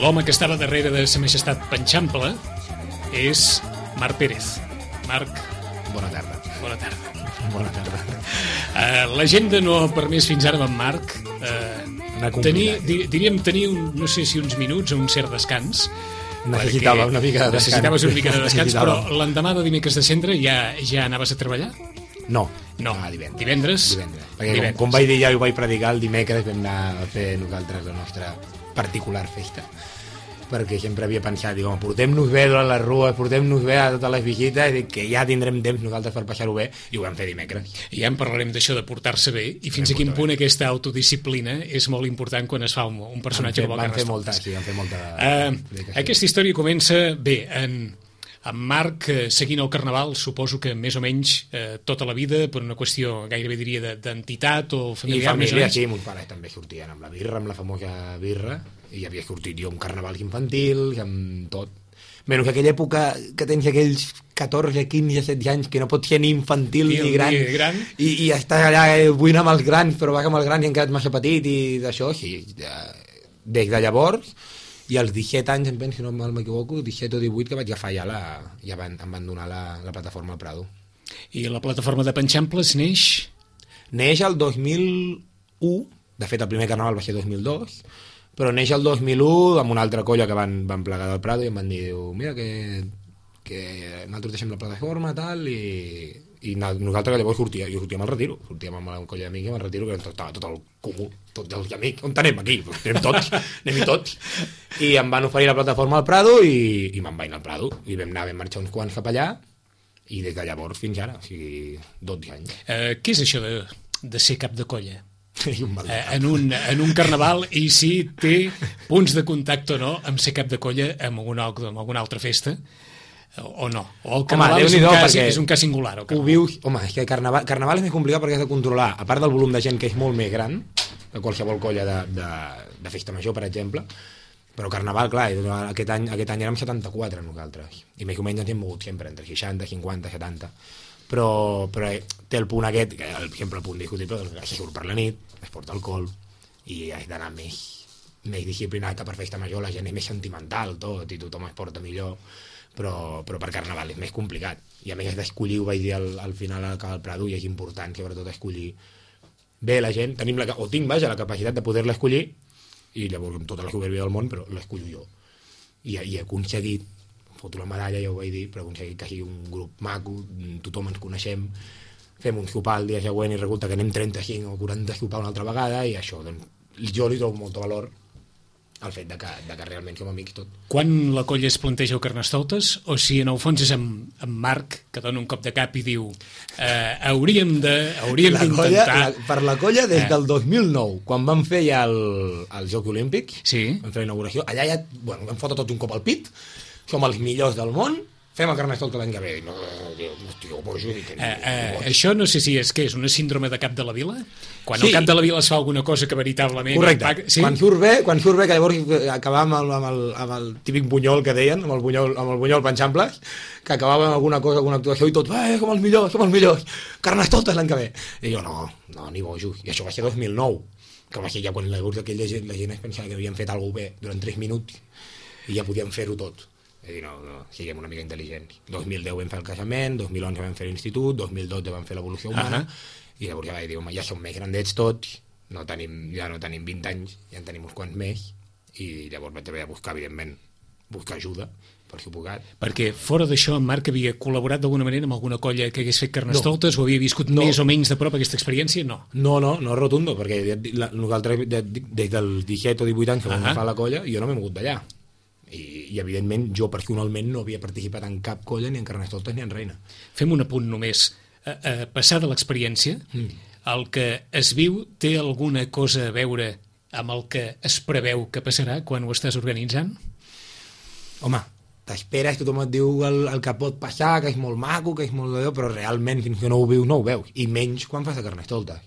l'home que estava darrere de Sa Majestat Panxample és Marc Pérez. Marc, Bona tarda. bona tarda. Bona tarda. L'agenda no ha permès fins ara amb en Marc diríem tenir no sé si uns minuts o un cert descans. Necessitava una mica de descans. Necessitaves una mica de descans, però l'endemà de dimecres de cendre ja anaves a treballar? No, divendres. Perquè com vaig dir ja, ho vaig predicar el dimecres, vam anar a fer nosaltres la nostra particular festa, perquè sempre havia pensat, dic, portem-nos bé durant les rues, portem-nos bé a totes les visites, dic que ja tindrem temps nosaltres per passar-ho bé, i ho vam fer dimecres. I ja en parlarem d'això de portar-se bé, i fins a quin punt aquesta autodisciplina és molt important quan es fa un personatge com el Carnestoltes. Van fer molta. Aquesta història comença bé, amb Marc seguint el Carnaval, suposo que més o menys tota la vida, per una qüestió gairebé diria d'entitat o familiar. I família, sí, meus pares també sortien amb la birra, amb la famosa birra, i havia sortit jo amb carnavals infantils, amb tot. Menys que aquella època que tens aquells 14, 15, 16 anys que no pots ser ni infantil ni gran. I estàs allà buint amb els grans, però vas amb els grans i han quedat massa petit i d'això, sí. Des de llavors, i als 17 anys, em penso, si no m'equivoco, 17 o 18, que vaig agafar ja em van donar la plataforma al Prado. I la plataforma de Panxamples neix? Neix el 2001, de fet el primer carnaval va ser 2002, però neix el 2001 amb una altra colla que van plegar del Prado i em van dir, mira que nosaltres deixem la plataforma tal, i nosaltres llavors sortíem al retiro, sortíem amb la colla d'amics al retiro, que estava tot el comú, tots els amics, on anem aquí? Anem-hi tots. I em van oferir la plataforma al Prado i me'n vaig anar al Prado, i vam marxar uns quants cap allà, i des de llavors fins ara, o sigui, 12 anys. Què és això de ser cap de colla? En un carnaval, i si té punts de contacte o no amb ser cap de colla en alguna altra festa o no, o el carnaval és un cas singular ho vius, és que carnaval és més complicat perquè has de controlar, a part del volum de gent que és molt més gran que qualsevol colla de festa major, per exemple, però carnaval, clar, aquest any érem 74 nosaltres, i més o menys ens hem mogut sempre entre 60, 50, 70, però té el punt aquest, que sempre el punt discutible, que se surt per la nit, es porta alcohol, i has d'anar més disciplinat que per festa major, la gent és més sentimental tot, i tothom es porta millor, però per carnaval és més complicat, i a més has d'escollir, ho vaig dir al final al Prado, i és important sobretot escollir bé la gent, tinc la capacitat de poder-la escollir, i llavors amb tota la soberbia del món, però l'escollo jo, i he aconseguit, foto la medalla, ja ho vaig dir, però he aconseguit que sigui un grup maco, tothom ens coneixem, fem un sopar el dia següent i resulta que anem 35 o 40 a sopar una altra vegada, i això, doncs, jo li trobo molt valor al fet de que realment som amics tot. Quan la colla es planteja el Carnestoltes, o si en el fons és amb Marc, que dona un cop de cap i diu hauríem d'intentar... Per la colla des del 2009, quan vam fer ja els Jocs Olímpics, vam fer la inauguració, allà ja vam fotre tot un cop al pit, som els millors del món, fem el Carnestoltes l'any que ve. Això no sé si és una síndrome de cap de la vila? Quan el cap de la vila es fa alguna cosa que veritablement... Correcte. Quan surt bé, que llavors acabàvem amb el típic bunyol que deien, amb el bunyol Panxamples, que acabàvem amb alguna cosa, alguna actuació, i tot, som els millors, Carnestoltes l'any que ve. I jo, no, ni bojos. I això va ser 2009, que va ser ja quan la gent es pensava que havien fet alguna cosa bé durant 3 minuts, i ja podíem fer-ho tot. És a dir, no, siguem una mica intel·ligents. 2010 vam fer el casament, 2011 vam fer l'institut, 2012 vam fer l'evolució humana, i llavors ja vaig dir, ja som més grandets tots, ja no tenim 20 anys, ja en tenim uns quants més, i llavors vaig haver de buscar, evidentment, ajuda, per suposat. Perquè fora d'això, en Marc havia col·laborat d'alguna manera amb alguna colla que hagués fet Carnestoltes, o havia viscut més o menys de prop aquesta experiència? No, rotundo, perquè nosaltres des dels 17 o 18 anys que vam fer la colla, jo no m'he mogut d'allà. I evidentment jo personalment no havia participat en cap colla ni en Carnestoltes ni en Reina. Fem un apunt només. Passada l'experiència, el que es viu té alguna cosa a veure amb el que es preveu que passarà quan ho estàs organitzant? Home, t'esperes, tothom et diu el que pot passar, que és molt maco, que és molt d'allò, però realment fins que no ho vius, no ho veus, i menys quan fas a Carnestoltes.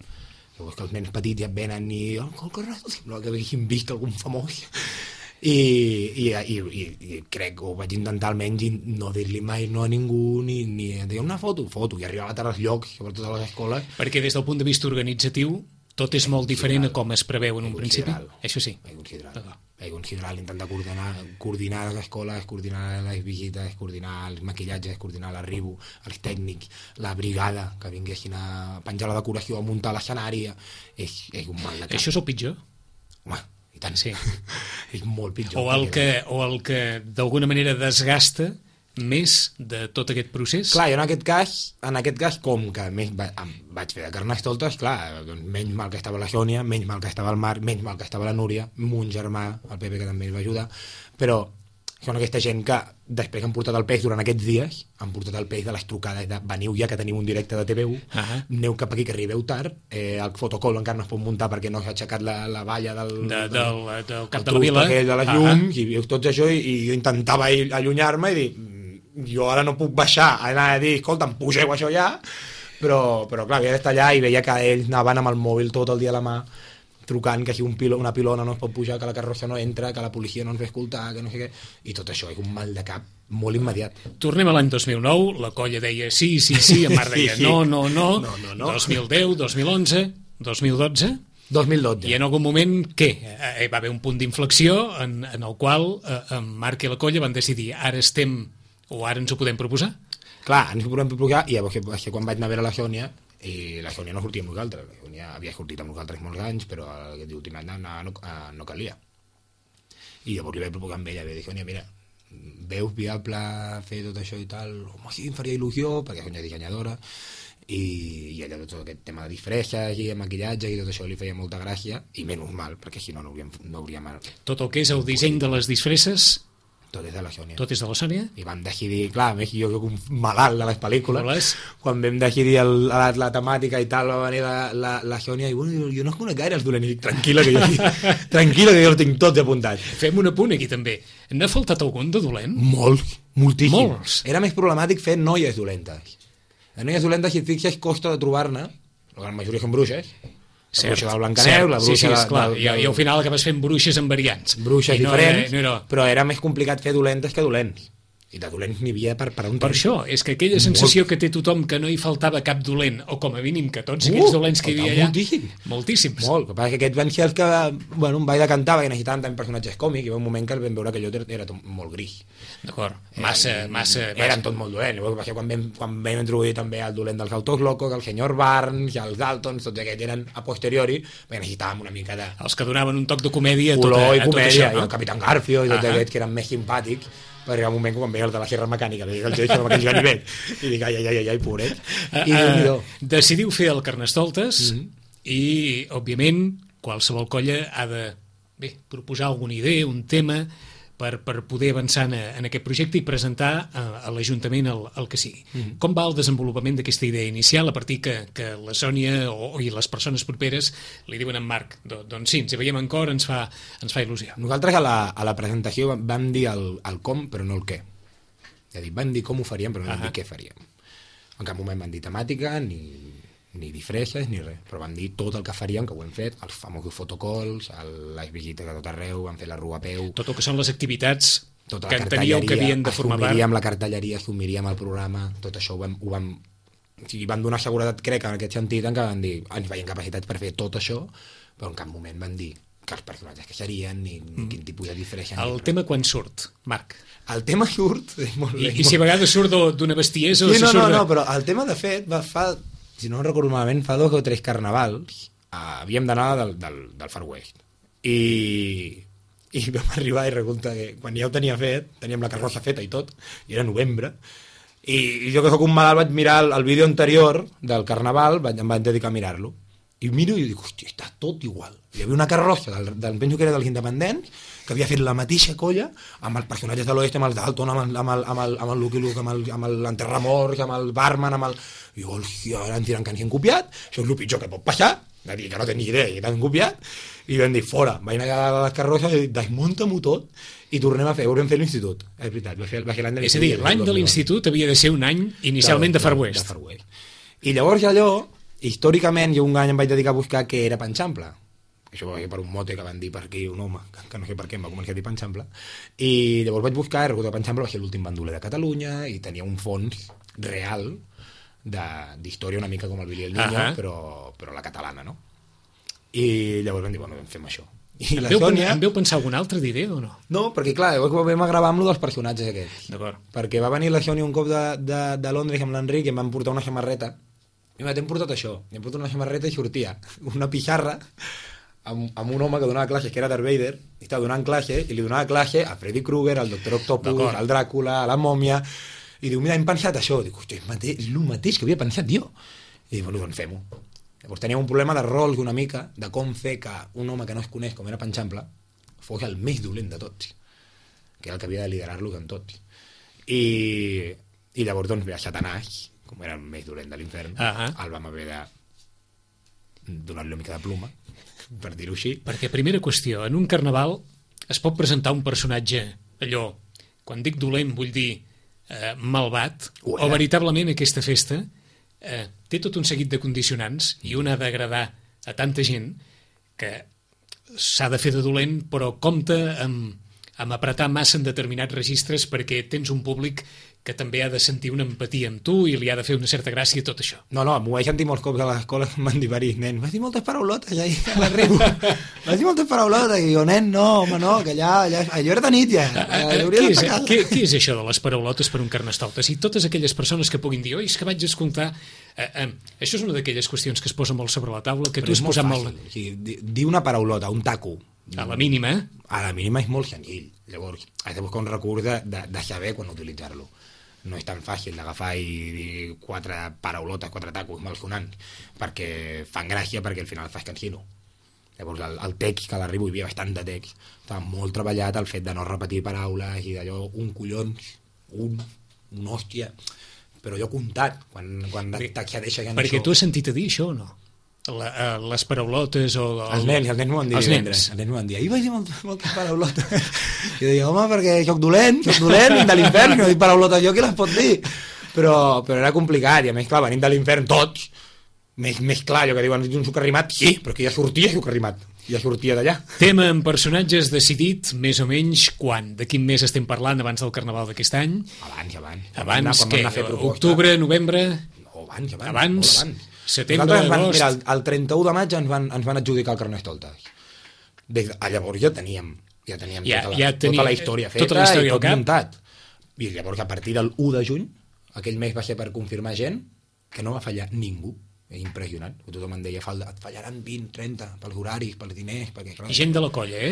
Llavors que els nens petits ja et venen i el Carnestoltes, sembla que haguessin vist algun famós. I crec que ho vaig intentar almenys no dir-li mai no a ningú ni dir una foto, i arribava a tants llocs, sobretot a les escoles, perquè des del punt de vista organitzatiu Tot és molt diferent a com es preveu en un principi? Això sí. He considerat intentar coordinar les escoles, coordinar les visites, coordinar els maquillatges, coordinar l'arribo, els tècnics, la brigada, que vinguessin a penjar la decoració, a muntar l'escenari. És un mal de cap. Això és el pitjor? Home, i tant. Sí. És molt pitjor. O el que d'alguna manera desgasta més de tot aquest procés? Clar, jo en aquest cas com que vaig fer de carnestoltes, clar, doncs menys mal que estava la Sònia, menys mal que estava el Marc, menys mal que estava la Núria, mon germà, el Pepe, que també ens va ajudar, però són aquesta gent que després han portat el peix durant aquests dies, han portat el peix de les trucades de veniu ja que tenim un directe de TVU, aneu cap aquí que arribeu tard, el fotocol encara no es pot muntar perquè no s'ha aixecat la valla del cap de la vila, de les llums, i veus tots això, i jo intentava allunyar-me i dir, jo ara no puc baixar a anar a dir, escolta, em pugeu això ja, però clar, havia d'estar allà i veia que ells anaven amb el mòbil tot el dia a la mà, trucant que si una pilona no es pot pujar, que la carrossa no entra, que la policia no ens ve escoltar, que no sé què, i tot això és un mal de cap molt immediat. Tornem a l'any 2009, la colla deia sí, en Marc deia no, 2010, 2011, 2012... 2012. I en algun moment, què? Va haver un punt d'inflexió en el qual en Marc i la colla van decidir ara ens ho podem proposar? Clar, ens ho podem proposar, i llavors que quan vaig anar a veure la Sònia, i la Sònia no sortia amb nosaltres, la Sònia havia sortit amb nosaltres molts anys, però aquest últim any no calia. I llavors li vaig proposar amb ella, vaig dir, Sònia, mira, veus viable fer tot això i tal? Home, sí, em faria il·lusió, perquè Sònia és dissenyadora, i ella tot aquest tema de disfresses i maquillatge i tot això li feia molta gràcia, i menys mal, perquè si no hauríem... Tot el que és el disseny de les disfresses... Tot és de la Sònia. Tot és de la Sònia? I vam decidir, clar, més jo soc un malalt de les pel·lícules, quan vam decidir la temàtica i tal, va venir la Sònia i bueno, jo no es conec gaire els dolents, i dic, tranquil·la que jo els tinc tots apuntats. Fem un apunt aquí també. N'ha faltat algun de dolent? Moltíssim. Molts. Era més problemàtic fer noies dolentes. Les noies dolentes, si et fixes, costa de trobar-ne, la gran majoria són bruixes, la bruixa del Blancaneu, la bruixa i al final acabes fent bruixes amb variants. Bruixes diferents, però era més complicat fer dolentes que dolents. I de dolents n'hi havia per un temps. Per això, és que aquella sensació que té tothom que no hi faltava cap dolent, o com a mínim que tots aquells dolents que hi havia allà... Moltíssims. Molt, el que passa que aquests van ser els que, bueno, un ball de cantava, que necessitaven també personatges còmics, i hi va un moment que vam veure que allò era tot molt gris. D'acord, massa... Eren tot molt dolents. Llavors, quan vam introduir també el dolent dels Autos Locos, el senyor Barnes, els Daltons, tots aquests eren a posteriori, perquè necessitàvem una mica de... Els que donaven un toc de comèdia color i comèdia, i el Capitán Garfio, i tots aquests que eren més simpàtics, perquè al moment quan veia el de la Sierra Mecànica li dic el Geix amb aquells ganivets i dic ai, pobret. Decidiu fer el Carnestoltes i òbviament qualsevol colla ha de proposar alguna idea, un tema per poder avançar en aquest projecte i presentar a l'Ajuntament el que sigui. Com va el desenvolupament d'aquesta idea inicial a partir que la Sònia i les persones properes li diuen a en Marc, doncs sí, ens hi veiem en cor, ens fa il·lusió. Nosaltres a la presentació vam dir el com però no el què. És a dir, vam dir com ho faríem però no vam dir què faríem. En cap moment vam dir temàtica ni disfresses ni res, però vam dir tot el que faríem, que ho hem fet, els famosos fotocalls, les visites a tot arreu, vam fer la rua a peu... Tot el que són les activitats que enteníeu que havien de formar part. Assumiríem la cartelleria, assumiríem el programa, tot això ho vam donar seguretat, crec, en aquest sentit, en què vam dir, ens veiem capacitats per fer tot això, però en cap moment vam dir que els personatges que serien, ni quin tipus de disfressa... El tema quan surt, Marc? El tema surt... Molt bé, I si a vegades surt d'una bestiesa... Sí, no, però el tema, de fet, fa... Si no recordo malament, fa 2 o 3 carnavals havíem d'anar del Far West. I vam arribar i resulta que quan ja ho tenia fet, teníem la carrossa feta i tot, i era novembre, i jo que sóc un malalt vaig mirar el vídeo anterior del carnaval, em vaig dedicar a mirar-lo. I miro i dic, hòstia, està tot igual. Hi havia una carrossa penso que era dels independents, que havia fet la mateixa colla, amb els personatges de l'oest, amb els Dalton, amb el Lucky Luke, amb l'Enterramors, amb el Barman, amb el... I jo, hòstia, ara ens diran que ens han copiat, això és el pitjor que pot passar, de dir que no tenia idea que t'han copiat, i vam dir, fora, vaig anar a les carrosses i desmunta-m'ho tot, i tornem a fer, ho vam fer a l'institut, és veritat, va ser l'any de l'institut. És a dir, l'any de l'institut havia de ser un any inicialment de Far West. I llavors allò, històricament, jo un any em vaig dedicar a buscar què era Panxample. Això va ser per un mote que van dir per aquí un home, que no sé per què em va començar a dir Panxample, i llavors vaig buscar, i recordo que Panxample va ser l'últim bandoler de Catalunya, i tenia un fons real d'història una mica com el Billy el Niño, però la catalana, no? I llavors vam dir, bueno, fem això. I em veu pensar alguna altra d'idea o no? No, perquè clar, vam gravar amb lo dels personatges aquests. D'acord. Perquè va venir la Sònia un cop de Londres amb l'Enric i em van portar una samarreta. I m'hem portat això. I em portat una samarreta i sortia una pixarra amb un home que donava classes, que era Darth Vader, i estava donant classe, i li donava classe a Freddy Krueger, al Doctor Octopus, al Dràcula, a la Mòmia, i diu, mira, hem pensat això. Dic, hòstia, és el mateix que havia pensat jo. I dic, bueno, doncs fem-ho. Llavors teníem un problema de rols una mica, de com fer que un home que no es coneix, com era Panxample, fos el més dolent de tots, que era el que havia de liderar-los en tots. I llavors, doncs, ve a Satanàs, com era el més dolent de l'infern, el vam haver de donar-li una mica de pluma, per dir-ho així. Perquè, primera qüestió, en un carnaval es pot presentar un personatge, allò, quan dic dolent vull dir malvat, o veritablement aquesta festa té tot un seguit de condicionants i una ha d'agradar a tanta gent que s'ha de fer de dolent, però compta amb apretar massa en determinats registres perquè tens un públic que també ha de sentir una empatia amb tu i li ha de fer una certa gràcia tot això. No, m'ho vaig sentir molts cops a l'escola que em van dir varis, nen, vas dir moltes paraulotes ja a l'arribo. Vas dir moltes paraulotes i jo, nen, no, home, no, que allò era de nit ja. Què és això de les paraulotes per un carnestoltes? I totes aquelles persones que puguin dir, oi, és que vaig escoltar... això és una d'aquelles qüestions que es posa molt sobre la taula, que tu has posat molt... O sigui, dir una paraulota, un taco... A la mínima, A la mínima és molt senzill. Llavors, has de buscar un recurs de saber quan utilitzar-lo. No és tan fàcil d'agafar i dir 4 paraulotes, 4 tacos malsonants, perquè fan gràcia, perquè al final fas cansino. Llavors, el text, que a l'arribo hi havia bastant de text, estava molt treballat el fet de no repetir paraules i d'allò, un collons, un hòstia, però jo comptat, quan t'accedeixes en perquè això... tu has sentit a dir això o no? Les paraulotes o... Els nens m'ho van dir divendres. Els nens m'ho van dir, ahir vaig dir moltes paraulotes. I jo deia, home, perquè soc dolent, de l'infern, no dic paraulotes jo, qui les pot dir? Però era complicat, i a més, clar, venim de l'infern tots, més clar, allò que diuen un suc arrimat, sí, però que ja sortia suc arrimat, ja sortia d'allà. Tema en personatges decidit, més o menys, quan? De quin mes estem parlant abans del Carnaval d'aquest any? Abans, què? Octubre, novembre? No, abans. Setembre, agost... Mira, el 31 de maig ens van adjudicar el Carnestoltes. Llavors ja teníem tota la història feta i tot muntat. I llavors, a partir del 1 de juny, aquell mes va ser per confirmar gent que no va fallar ningú. És impressionant. Tothom em deia, et fallaran 20, 30, pels horaris, pels diners... Perquè, gent de la colla,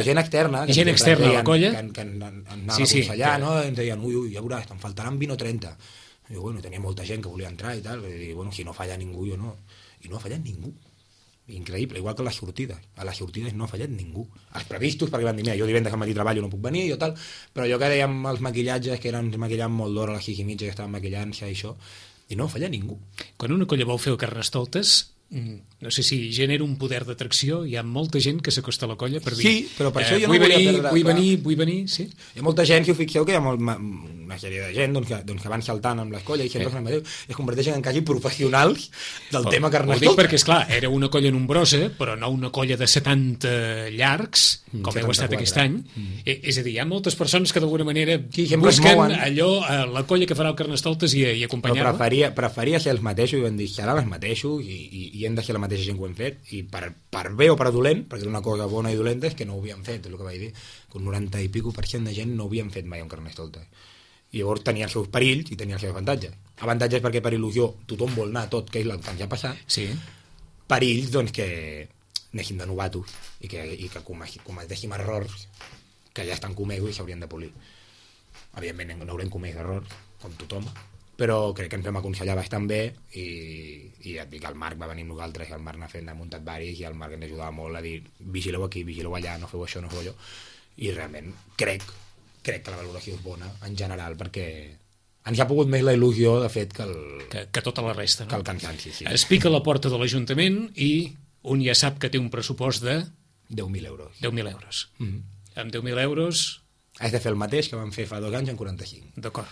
gent externa. Gent externa a la colla? Que anava a aconsellar, no? Ens deien, ui, ja veuràs, te'n faltaran 20 o 30. I bueno, tenia molta gent que volia entrar i tal, i bueno, si no falla ningú jo no, i no ha fallat ningú, increïble, igual que a les sortides no ha fallat ningú, els previstos, perquè van dir, mira, jo divendres al matí treballo, no puc venir, jo tal, però jo que dèiem els maquillatges, que ens maquillant molt d'hora a les 6:30 que estaven maquillant-se i això, i no ha fallat ningú. Quan una colla vol fer el Carnestoltes, no sé si genera un poder d'atracció, hi ha molta gent que s'acosta a la colla per dir... Sí, però per això jo no vull venir, sí. Hi ha molta gent, si ho fixeu, que hi ha una sèrie de gent que van saltant amb les colles i sempre es converteixen en quasi professionals del tema Carnestoltes. Ho dic perquè, esclar, era una colla nombrosa, però no una colla de 70 llargs, com heu estat aquest any. És a dir, hi ha moltes persones que d'alguna manera busquen allò, la colla que farà el Carnestoltes i acompanyar-la. Però preferia ser els mateixos, i van dir, seran els mateixos i hem de ser la mateixa gent que ho hem fet, i per bé o per dolent, perquè una cosa bona i dolenta és que no ho havíem fet, és el que vaig dir, que un 90 i pico % de gent no ho havien fet mai un Carnestoltes. I llavors tenia els seus perills i tenia els seus avantatges. Avantatges perquè per il·lusió tothom vol anar a tot, que és el que ens ha passat. Sí. Perills, doncs, que anessin de novatos i que cometéssim errors que ja estan comesos i s'haurien de polir. Evidentment no haurem comès errors, com tothom, però crec que ens vam aconsellar bastant bé i et dic, el Marc va venir amb nosaltres i el Marc n'ha muntat varis i el Marc ens ajudava molt a dir, vigileu aquí, vigileu allà, no feu això, no feu allò, i realment crec que la valoració és bona en general, perquè ens ha pogut més la il·lusió de fet que tota la resta, no? Que el cansanci, sí. Es pica a la porta de l'Ajuntament i un ja sap que té un pressupost de 10.000 euros. 10.000 euros. Amb 10.000 euros... Has de fer el mateix que vam fer fa 2 anys en 45. D'acord.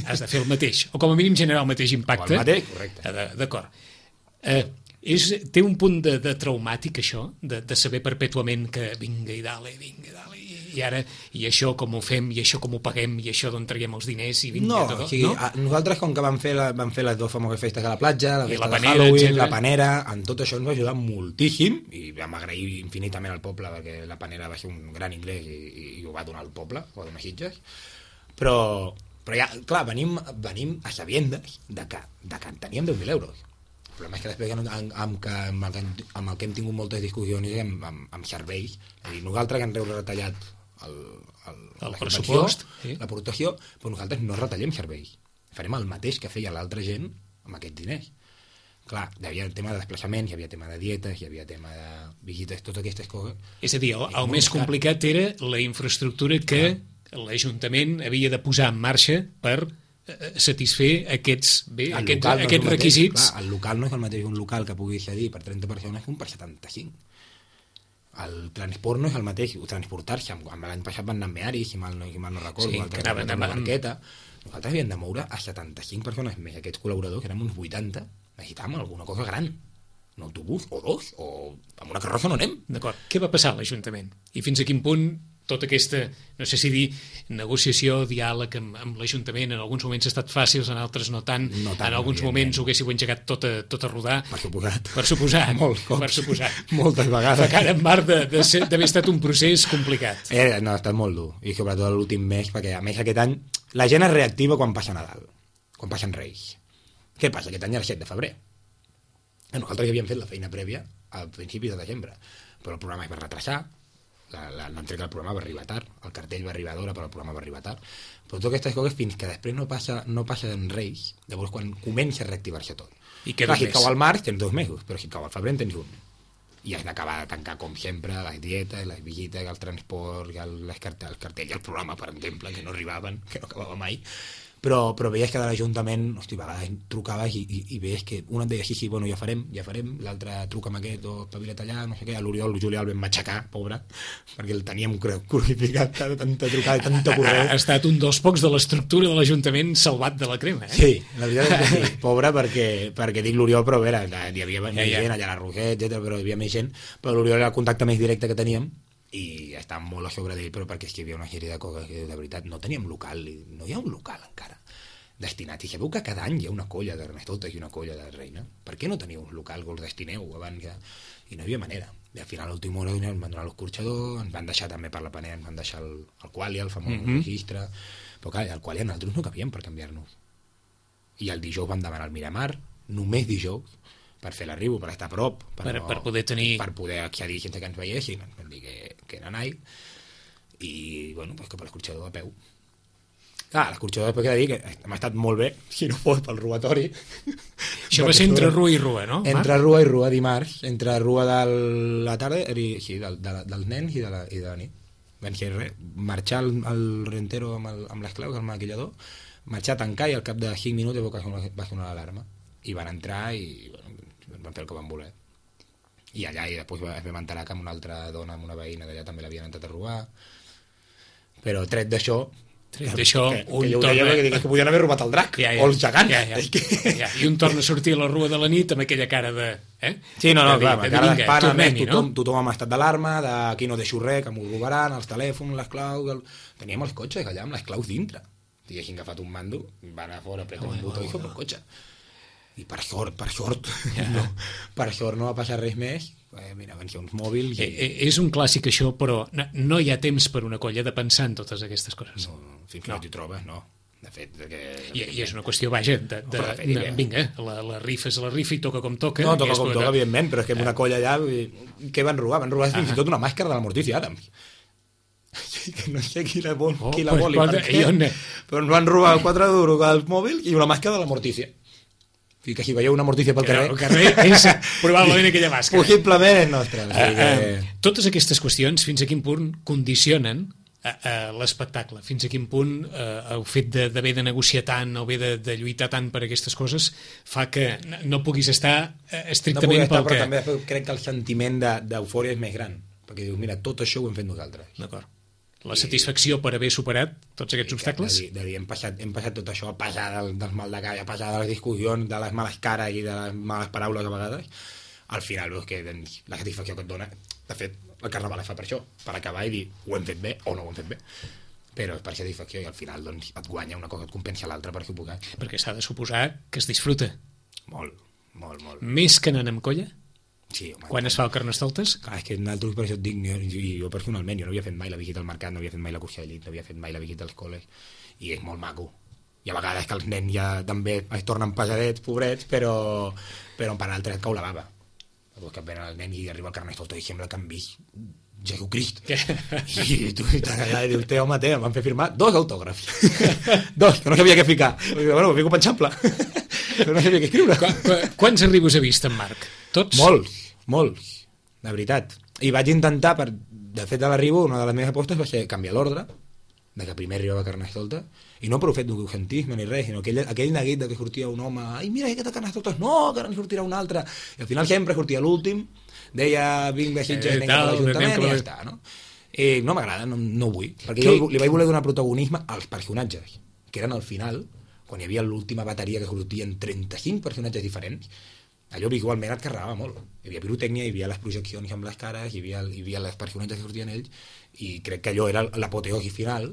Has de fer el mateix, o com a mínim generar el mateix impacte. O el mateix, correcte. D'acord. Té un punt de traumàtic, això, de saber perpètuament que vinga i dale, i això com ho fem, i això com ho paguem, i això d'on traiem els diners, i no, o sigui, no? Nosaltres com que vam fer les dues famoses festes a la platja, la festa de Halloween, la panera, en tot això ens va ajudar moltíssim, i vam agrair infinitament al poble, perquè la panera va ser un gran ingrés i ho va donar al poble, ho va donar Sitges, però ja, clar, venim a sabiendes de que en teníem 10.000 euros. El problema és que després amb el que hem tingut moltes discussions amb serveis, és a dir, nosaltres que ens heu retallat el pressupost, l'aportació, però nosaltres no retallem serveis. Farem el mateix que feia l'altra gent amb aquests diners. Clar, hi havia tema de desplaçaments, hi havia tema de dietes, hi havia tema de visites, totes aquestes coses. És a dir, el més complicat era la infraestructura que l'Ajuntament havia de posar en marxa per satisfer aquests requisits. Clar, el local no és el mateix un local que pugui cedir per 30 persones que un per 75. El transport no és el mateix, transportar-se, l'any passat van anar amb Meari, si mal no recordo, que anaven amb la barqueta. Nosaltres havíem de moure a 75 persones més, aquests col·laboradors, que érem uns 80, necessitàvem alguna cosa gran, un autobús o dos, o amb una carrossa no anem. D'acord, què va passar a l'Ajuntament? I fins a quin punt tota aquesta, no sé si dir, negociació, diàleg amb l'Ajuntament, en alguns moments ha estat fàcils, en altres no tant, en alguns moments ho haguéssiu engegat tot a rodar. Per suposat. Moltes vegades. Cara en mar d'haver estat un procés complicat. No, ha estat molt dur, i sobretot l'últim mes, perquè a més aquest any la gent es reactiva quan passa Nadal, quan passen Reis. Què passa? Aquest any era el 7 de febrer. Nosaltres ja havíem fet la feina prèvia al principi de desembre, però el programa es va retrasar, l'entrega del programa va arribar tard, el cartell va arribar d'hora però el programa va arribar tard, però totes aquestes coses fins que després no passa en Reis, llavors quan comença a reactivar-se tot. I clar, si cau al març tens 2 mesos, però si cau al febrer en tens 1, i has d'acabar de tancar com sempre les dietes, les visites, el transport, el cartell i el programa, per exemple, que no arribaven, que no acabava mai. Però veies que de l'Ajuntament, hosti, a vegades trucaves i veies que un et deia sí, bueno, ja farem, l'altre truca amb aquest o espavila't allà, no sé què, a l'Oriol Julià el vam matxacar, pobre, perquè el teníem crucificat de tanta trucada i tanta correu. Ha estat un dels pocs de l'estructura de l'Ajuntament salvat de la crema, eh? Sí, la veritat és que sí, pobre, perquè dic l'Oriol, però a veure, hi havia més gent, allà a la Roquet, etc, però hi havia més gent, però l'Oriol era el contacte més directe que teníem, i estàvem molt a sobre d'ell, però perquè és que hi havia una sèrie de coses que de veritat no teníem local, no hi ha un local encara destinat, i sabeu que cada any hi ha una colla d'Ernestotes i una colla de Reina, per què no teniu un local que us destineu abans que... I no hi havia manera, i al final a l'última hora ens van donar l'escorxador, ens van deixar també per la panera, ens van deixar el Qualia, el famós registre, però clar, el Qualia nosaltres no cabíem per canviar-nos, i el dijous vam demanar el Miramar, només dijous, per fer l'arribo, per estar a prop, per poder tenir... per poder accedir sense que ens veiessin, ens van dir que era nai, i bueno, pues que per l'escorxador a peu. Clar, l'escorxador després que dir que m'ha estat molt bé, si no fos pel robatori. Això va ser entre Rua i Rua, no? Entre Rua i Rua, dimarts, entre Rua de la tarda, sí, dels nens i de la nit. Van ser marxar el rentero amb les claus, el maquillador, marxar a tancar i al cap de 5 minuts va sonar l'alarma. I van entrar i bueno, van fer el que van voler. I allà, i després es vam enterar que amb una altra dona, amb una veïna d'allà també l'havien entrat a robar. Però tret d'això, que podien haver robat el drac o el gegant. I un torna a sortir a la Rua de la nit amb aquella cara de... Sí, no, clar, amb cara d'espant, tothom amb estat d'alarma, d'aquí no deixo res, que m'ho robaran, els telèfons, les claus... Teníem els cotxes allà amb les claus dintre. Si haguessin agafat un mando, van a fora, apreten un botó i fot el cotxe. I per sort no va passar res més. Mira, van ser uns mòbils és un clàssic això, però no hi ha temps per una colla de pensar en totes aquestes coses. Fins que no t'hi trobes, no. De fet, i és una qüestió, vaja, vinga, la rifa és la rifa i toca com toca. No, toca com toca, evidentment, però és que una colla allà, què van robar? Van robar fins i tot una màscara de la Morticia Adams. Que no sé qui la vol i per què, però ens van robar 4 duros al mòbil i una màscara de la Morticia. Que si veieu una Morticia pel carrer... El carrer és probablement aquella màscara. Possiblement és nostra. Totes aquestes qüestions, fins a quin punt condicionen l'espectacle? Fins a quin punt el fet d'haver de negociar tant o haver de lluitar tant per aquestes coses fa que no puguis estar estrictament pel que... Però també crec que el sentiment d'eufòria és més gran, perquè dius, mira, tot això ho hem fet nosaltres. D'acord. La satisfacció per haver superat tots aquests obstacles? De dir, hem passat tot això a passar dels mal de cara, a passar de les discussions, de les males cares i de les males paraules a vegades, al final veus que doncs, la satisfacció que et dona, de fet, el carnaval es fa per això, per acabar i dir ho hem fet bé o no ho hem fet bé, però és per satisfacció i al final doncs, et guanya una cosa, et compensa l'altra per suposar. Perquè s'ha de suposar que es disfruta. Molt. Més que anant amb colla? Sí, home. Quan es fa el Carnestoltes? Clar, és que nosaltres per això et dic, jo personalment, jo no havia fet mai la visita al mercat, no havia fet mai la cursa d'elit, no havia fet mai la visita als col·les, i és molt maco. I a vegades que els nens ja també es tornen pesadets, pobrets, però per altres et cau la bava. Perquè que venen el nen i arriba al Carnestoltes i sembla que han vist Jesucrist. I tu estàs allà i dius, home, em van fer firmar 2 autògrafs. 2, que no sabia què ficar. Bueno, ho fico penjable. Però no sabia què escriure. Quants arribos ha vist en Marc? Tots? Molts, de veritat. I vaig intentar, de fet a l'arribo, una de les meves apostes va ser canviar l'ordre, de que primer arribava Carnestoltes, i no per un fet d'ocentisme ni res, sinó aquell neguit de que sortia un home, ai, mira, aquest de Carnestoltes, no, que ara en sortirà un altre, i al final sempre sortia l'últim, deia, vinc de Sitges, anem cap a l'Ajuntament, i ja està, no? I no m'agrada, no ho vull, perquè jo li vaig voler donar protagonisme als personatges, que eren al final, quan hi havia l'última bateria que sortien 35 personatges diferents, allò visualment et carregava molt. Hi havia pirotècnia, hi havia les projeccions amb les cares, hi havia les personatges que sortien ells, i crec que allò era l'apoteosi final,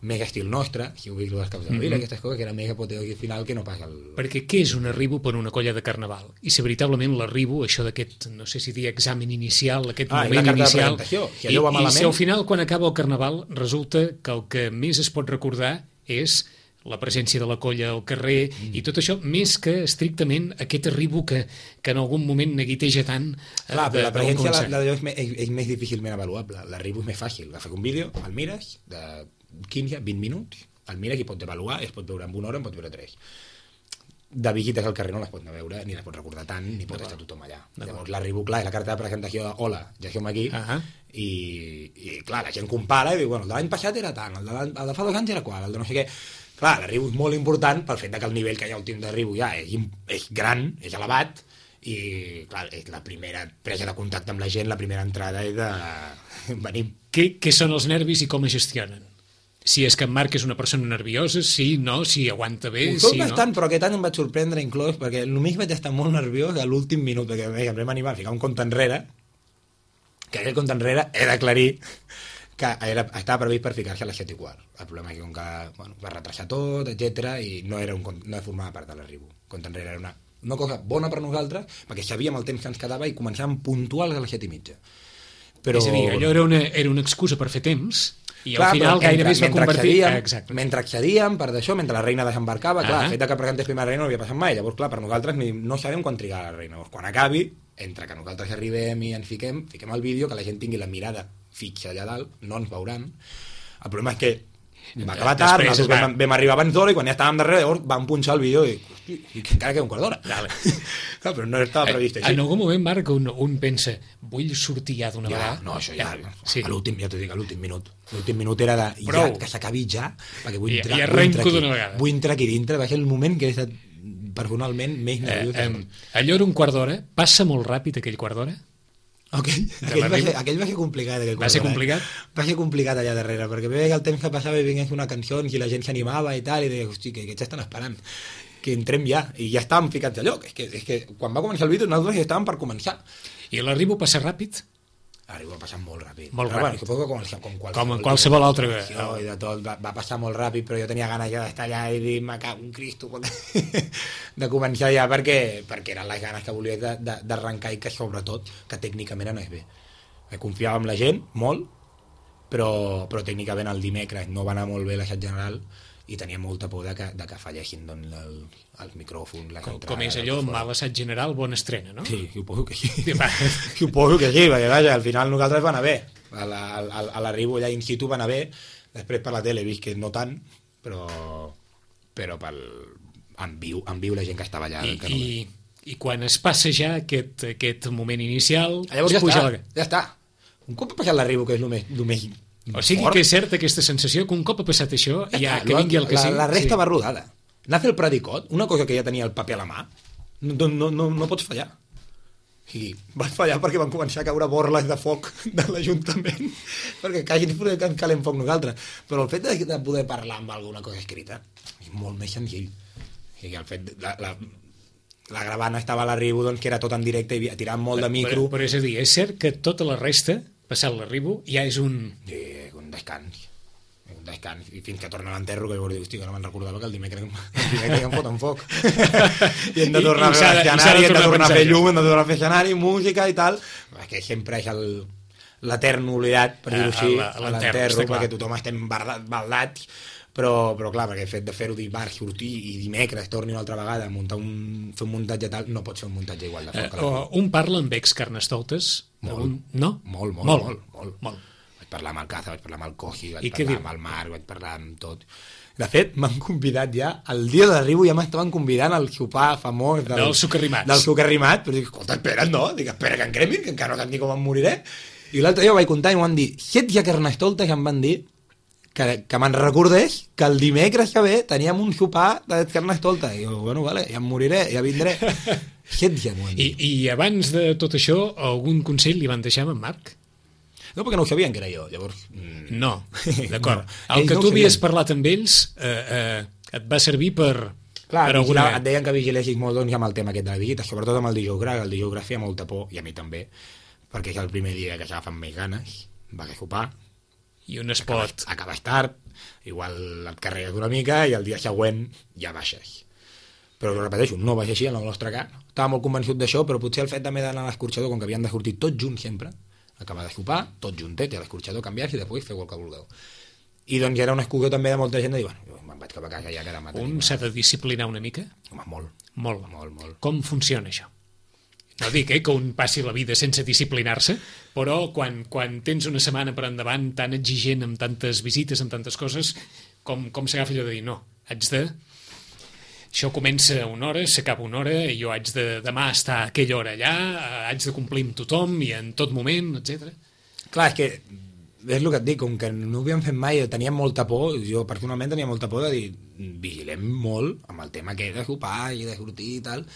mega estil nostre, si heu vist les caps de vila, aquestes coses, que era mega apoteosi final que no pas el... Perquè què és un arribo per una colla de carnaval? I si veritablement l'arribo, això d'aquest, no sé si dir examen inicial, aquest moment inicial... Si allò va malament... I si al final, quan acaba el carnaval, resulta que el que més es pot recordar és la presència de la colla al carrer i tot això, més que estrictament aquest arribo que en algun moment neguiteja tant. Clar, però la presència d'allò és més difícilment avaluable. L'arribo és més fàcil. Agafes un vídeo, el mires, de 15-20 minuts, el mires i pots avaluar, es pot veure en 1 hora, en pots veure 3. De visites al carrer no les pots veure, ni les pots recordar tant, ni pot estar tothom allà. Llavors l'arribo, clar, és la carta de presentació de hola, ja som aquí, i clar, la gent compara i diu, bueno, el de l'any passat era tant, el de fa 2 anys era qual, el de no sé què. Clar, l'arribo és molt important pel fet que el nivell que hi ha últim d'arribo ja és gran, és elevat, i clar, és la primera presa de contacte amb la gent, la primera entrada és de... venim. Què són els nervis i com es gestionen? Si és que en Marc és una persona nerviosa, sí, no, si aguanta bé, sí, no? Bastant, però aquest any em vaig sorprendre inclòs, perquè només vaig estar molt nerviós a l'últim minut, perquè em vam animar a ficar un compte enrere, que aquell compte enrere he d'aclarir que estava previst per ficar-se a les 7:15. El problema és que, com que va retrasar tot, etc i no formava part de l'arribo. El compte enrere era una cosa bona per nosaltres, perquè sabíem el temps que ens quedava i començàvem puntuals a les 7:30. Però... És a dir, allò era una excusa per fer temps, i al final gairebé es va convertir... Mentre accedíem, per d'això, mentre la reina desembarcava, clar, el fet que presentés primer la reina no havia passat mai, llavors, clar, per nosaltres no sabem quan trigar la reina. Llavors, quan acabi, entre que nosaltres arribem i ens fiquem el vídeo, que la gent tingui la mirada fixa allà dalt, no ens veuran. El problema és que va acabar tard, nosaltres vam arribar abans d'hora i quan ja estàvem darrere, llavors vam punxar el vídeo i encara queda un quart d'hora. Clar, però no estava previst així. En algun moment, Marc, un pensa, vull sortir ja d'una vegada. No, això ja, a l'últim, ja t'ho dic, a l'últim minut. L'últim minut era de, ja, que s'acabi ja, perquè vull entrar, vull entrar aquí dintre, va ser el moment que he estat personalment més nerviós. Allò era un quart d'hora, passa molt ràpid aquell quart d'hora? Aquell va ser complicat. Va ser complicat? Va ser complicat allà darrere, perquè veia que el temps que passava i vingués una cançó i la gent s'animava i tal, i deia, hosti, que aquests estan esperant, que entrem ja, i ja estàvem ficats a lloc. És que quan va començar el vídeo nosaltres ja estàvem per començar. I l'arribo passa ràpid? L'arribo va passar molt ràpid. Molt ràpid. Bueno, com en qualsevol altre... I de tot, va passar molt ràpid, però jo tenia ganes ja d'estar allà i dir, me cago en Cristo, de començar ja, perquè eren les ganes que volia d'arrencar i que sobretot, que tècnicament anés bé. Confiava en la gent, molt, però tècnicament el dimecres no va anar molt bé l'assaig general i tenia molta por de que fallessin els micròfons, les entrades... Com és allò, mal assaig general, bona estrena, no? Sí, suposo que sí. Suposo que sí, perquè vaja, al final nosaltres va anar bé. A l'arribo allà in situ va anar bé, després per la tele he vist que no tant, però en viu la gent que estava allà... I quan es passa ja aquest moment inicial... Llavors ja està. Un cop ha passat l'arribo, que és el més o sigui fort, que és certa aquesta sensació que un cop ha passat això, ja que vingui el que sigui... La resta va rodada. Anar a fer el predicot, una cosa que ja tenia el paper a la mà, no pots fallar. I vas fallar perquè van començar a caure borles de foc de l'Ajuntament perquè quasi que ens calem foc nosaltres. Però el fet de poder parlar amb alguna cosa escrita és molt més senzill. O sigui, el fet la gravana estava a l'arribo, doncs que era tot en directe i tirant molt de micro. Però és a dir, és cert que tota la resta, passat l'arribo, ja és un... Sí, un descans. I fins que torna a l'enterro, que llavors diu, hosti, que no me'n recordava que el dimecres em foten foc. I hem de tornar a fer l'escenari, hem de tornar a fer llum, hem de tornar a fer escenari, música i tal. Que sempre és l'etern oblidat, per dir-ho així, a l'enterro, perquè tothom estem baldats, però clar, perquè el fet de fer-ho dimarts, sortir i dimecres torni una altra vegada a fer un muntatge tal, no pots fer un muntatge igual de foc. Un parla amb ex-carnestoltes? No? Molt. Vaig parlar amb el Caza, vaig parlar amb el Cogi, vaig parlar amb el Marc, vaig parlar amb tot. De fet, m'han convidat ja, el dia de l'arribo ja m'estaven convidant al sopar famós del Sucarrimats. Del Sucarrimats, però dic, escolta, espera't, no? Dic, espera que em cremin, que encara no sap ni com em moriré. I l'altre dia ho vaig contar i m'ho van dir, 7 ja carnestoltes em van dir que me'n recordés que el dimecres que ve teníem un sopar de carnestoltes. I jo, bueno, vale, ja em moriré, ja vindré. 7 ja m'ho han dit. I abans de tot això, algun consell li van deixar amb en Marc? No, perquè no ho sabien que era jo, llavors... No, d'acord. No, el que tu havies parlat amb ells et va servir per... Clar, et deien que vigilessis molt doncs, amb el tema aquest de la visita, sobretot amb el dijous gras. El dijous gras feia molta por, i a mi també, perquè és el primer dia que s'agafen més ganes, va a sopar, i un es pot... Acabes tard, igual et carregues una mica, i el dia següent ja baixes. Però ho repeteixo, no va ser així en el nostre cas. Estava molt convençut d'això, però potser el fet també d'anar a l'escorxador, com que havien de sortir tots junts sempre, acabar de sopar, tot juntet, i a l'escorxador canviar-se i després feu el que vulgueu. I doncs era una excusa també de molta gent de dir, bueno, me'n vaig cap a casa ja que demà tenim... Un s'ha de disciplinar una mica? Home, molt. Com funciona això? No dic que un passi la vida sense disciplinar-se, però quan tens una setmana per endavant tan exigent, amb tantes visites, amb tantes coses, com s'agafa allò de dir, no, haig de... Això comença a una hora, s'acaba una hora, i jo haig de demà estar a aquella hora allà, haig de complir amb tothom i en tot moment, etc. Clar, és que és el que et dic, com que no ho havíem fet mai, teníem molta por, jo personalment tenia molta por de dir, vigilem molt amb el tema que és de sopar i de sortir i tal,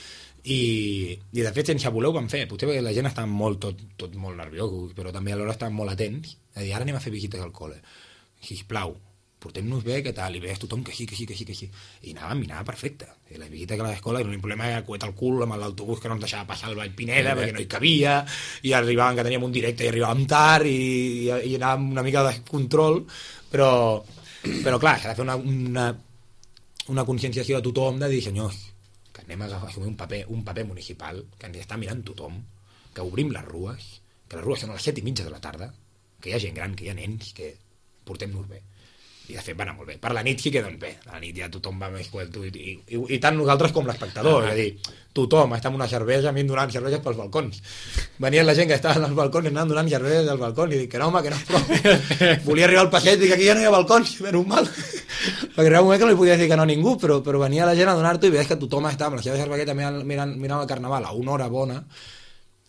i de fet sense voler ho vam fer, potser perquè la gent estava tot molt nerviós, però també alhora estaven molt atents, a dir, ara anem a fer visites al col·le, sisplau, portem-nos bé, què tal, i veies tothom que sí, i anava perfecte, i la visita que a l'escola, l'únic problema era coet el cul amb l'autobús que no ens deixava passar el Vall Pineda perquè no hi cabia, i arribaven que teníem un directe i arribàvem tard i anàvem una mica de descontrol, però clar, s'ha de fer una conscienciació de tothom de dir, senyors, que anem a assumir un paper municipal, que ens està mirant tothom, que obrim les rues, que les rues són a les 7:30 de la tarda, que hi ha gent gran, que hi ha nens, que portem-nos bé. I de fet va anar molt bé. Per la nit sí que doncs bé, a la nit ja tothom va més cuelto i tant nosaltres com l'espectador, és a dir, tothom està amb una cervesa, a mi donant cerveses pels balcons. Venien la gent que estava als balcons i anaven donant cerveses als balcons i dic que no, home, que no és prou. Volia arribar al passeig i dic, aquí ja no hi ha balcons, menys mal. Perquè era un moment que no li podia dir que no a ningú, però venia la gent a donar-t'ho i veies que tothom estava amb la seva cervesa mirant el carnaval a una hora bona.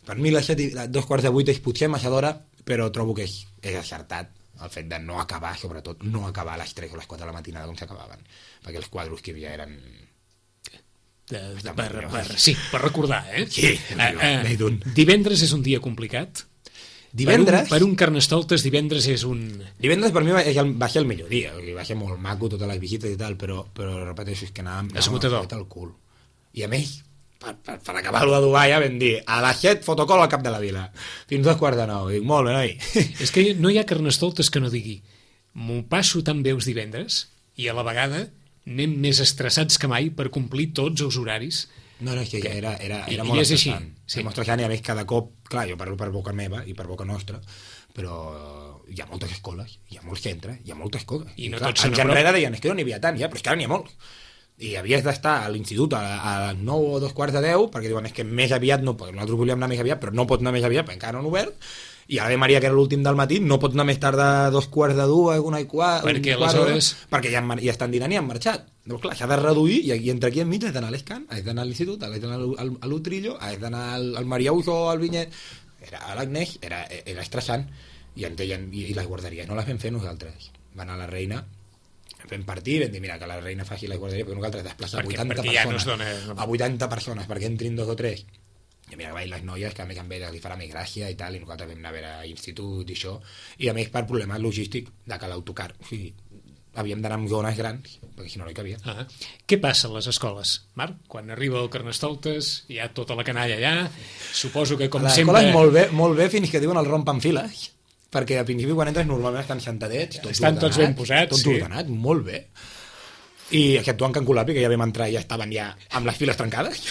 Per mi les 7:45 és potser massa d'hora, però trobo que és acertat el fet de no acabar, sobretot no acabar a les 3 o les 4 de la matinada com s'acabaven, perquè els quadros que hi havia eren... Sí, per recordar, eh? Sí, divendres és un dia complicat? Divendres? Per un carnestoltes, divendres és un... Divendres per mi va ser el millor dia, va ser molt maco, totes les visites i tal, però repeteixo, és que anàvem al cul. I a més, per acabar-ho d'adobar ja vam dir, a les 7 fotocol al cap de la vila, fins a 8:45. Dic, molt bé, noi. És que no hi ha carnestoltes que no digui, m'ho passo tan bé els divendres i a la vegada anem més estressats que mai per complir tots els horaris. No, és que era molt estressant. Sí. Molt estressant i a més cada cop, clar, jo parlo per boca meva i per boca nostra, però hi ha moltes escoles, hi ha molts centres, hi ha moltes coses. I no clar, tots anys enrere deien, és que no n'hi havia tant ja, però és que ara n'hi ha molts. I havies d'estar a l'institut a les 9 o 2:45, perquè diuen, és que més aviat no pot, nosaltres volíem anar més aviat, però no pots anar més aviat, perquè encara no han obert, i Ave Maria, que era l'últim del matí, no pots anar més tard de 2:45, 1:15... Perquè aleshores... Perquè ja estan dinant i han marxat. Doncs clar, s'ha de reduir, i entre aquí enmig has d'anar a l'Escan, has d'anar a l'institut, has d'anar a l'Utrillo, has d'anar al Mariaus o al Vinyet... A l'Agnès era estressant, i les guarderies no les vam fer nosaltres. Va anar la reina... Vam partir, vam dir, mira, que la reina faci la guarderia, perquè nosaltres desplaçar 80 persones, a 80 persones, perquè entrin 2 o 3. I mira, que les noies, que a més amb elles li farà més gràcia i tal, i nosaltres vam anar a veure a institut i això, i a més per problemes logístic de que l'autocar, o sigui, havíem d'anar amb zones grans, perquè si no no hi cabia. Què passa a les escoles, Marc? Quan arriba el Carnestoltes, hi ha tota la canalla allà, suposo que com sempre... L'escola és molt bé fins que diuen el rompen files, perquè al principi quan entres normalment estan sentadets, estan tots ben posats, tot ordenat, molt bé. I exceptuant Can Colapi, que ja vam entrar i ja estaven ja amb les files trencades,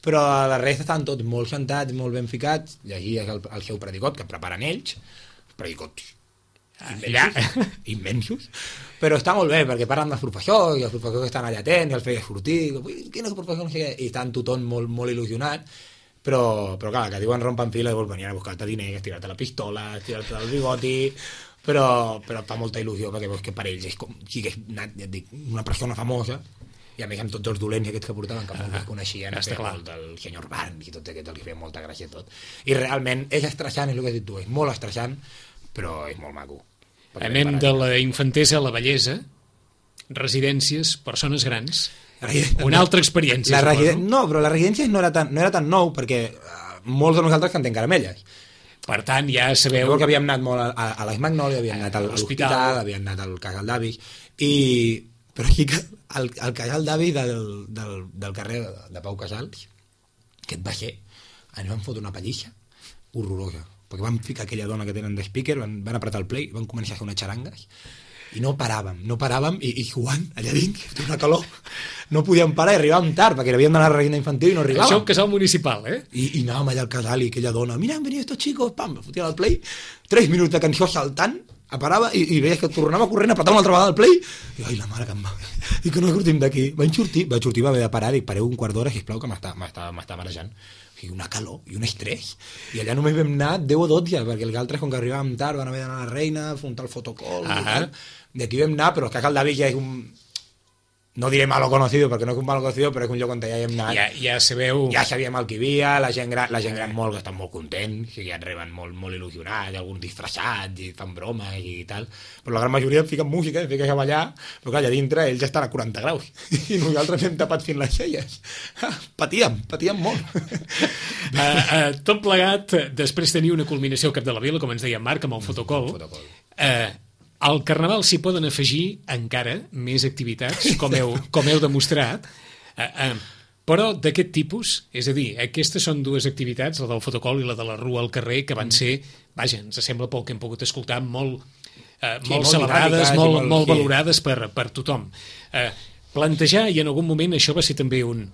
però la resta estan tots molt sentats, molt ben ficats, llegies el seu predicot, que preparen ells, predicots immensos, però està molt bé perquè parlen dels professors i els professors que estan allà atents i els feia sortir, quin és el professor, no sé què, i estan tothom molt, molt il·lusionat, però clar, que diuen rompen fila i venien a buscar-te diners, tirar-te la pistola, tirar-te el bigoti, però fa molta il·lusió perquè veus que per ells és com si hagués anat, ja et dic, una persona famosa, i a més amb tots els dolents aquests que portaven, que molts els coneixien, el senyor Barnes i tot aquest, els feia molta gràcia tot, i realment és estressant, és el que has dit tu, és molt estressant, però és molt maco. Anem de la infantesa a la vellesa, residències, persones grans, una altra experiència. No, però la residència no era tan nou, perquè molts de nosaltres cantem caramelles. Per tant, ja sabeu... Que havíem anat molt a les Magnòlies, havíem anat a l'hospital, havíem anat al Casal d'Avis, però aquí al Casal d'Avis del carrer de Pau Casals, que et va ser, ens van fotre una pallissa horrorosa, perquè van ficar aquella dona que tenen de speaker, van apretar el play, van començar a fer unes xarangues, i no paràvem, i jugant allà dins, una calor, no podíem parar i arribàvem tard, perquè havíem d'anar a la reina infantil i no arribàvem. Això un casal municipal, eh? I anàvem allà al casal i aquella dona, mira, han venido estos chicos, pam, fotia el play, 3 minuts de cançó saltant, parava i veies que tornava corrent, apretava una altra vegada el play, i ai, la mare que em va, i que no sortim d'aquí. Vaig sortir, va haver de parar, dic, pareu un quart d'hora, sisplau, que m'està marejant. O sigui, una calor i un estrès, i allà només vam anar 10 o 12, perquè els altres, com que arribàvem tard, van haver d'anar a la reina, afrontar el fotocol, i aquí vam anar, però el Casal d'Avis ja és un... No diré malo conocido, perquè no és un malo conocido, però és un lloc on ja hem anat. Ja sabeu... Ja sabíem el que hi havia, la gent gran molt, que estan molt contents, que ja et reben molt il·lusionats, alguns disfressats, i fan bromes i tal, però la gran majoria fiquen música, fiquen a ballar, però clar, allà dintre ells ja estan a 40 graus, i nosaltres hem tapat fins les celles. Patíem molt. Tot plegat, després tenir una culminació al cap de la vila, com ens deia Marc, amb el fotocol. Al Carnaval s'hi poden afegir encara més activitats, com heu demostrat, però d'aquest tipus, és a dir, aquestes són dues activitats, la del fotocol i la de la rua al carrer, que van ser, vaja, ens sembla pel que hem pogut escoltar, molt celebrades, molt valorades per tothom. Plantejar, i en algun moment això va ser també un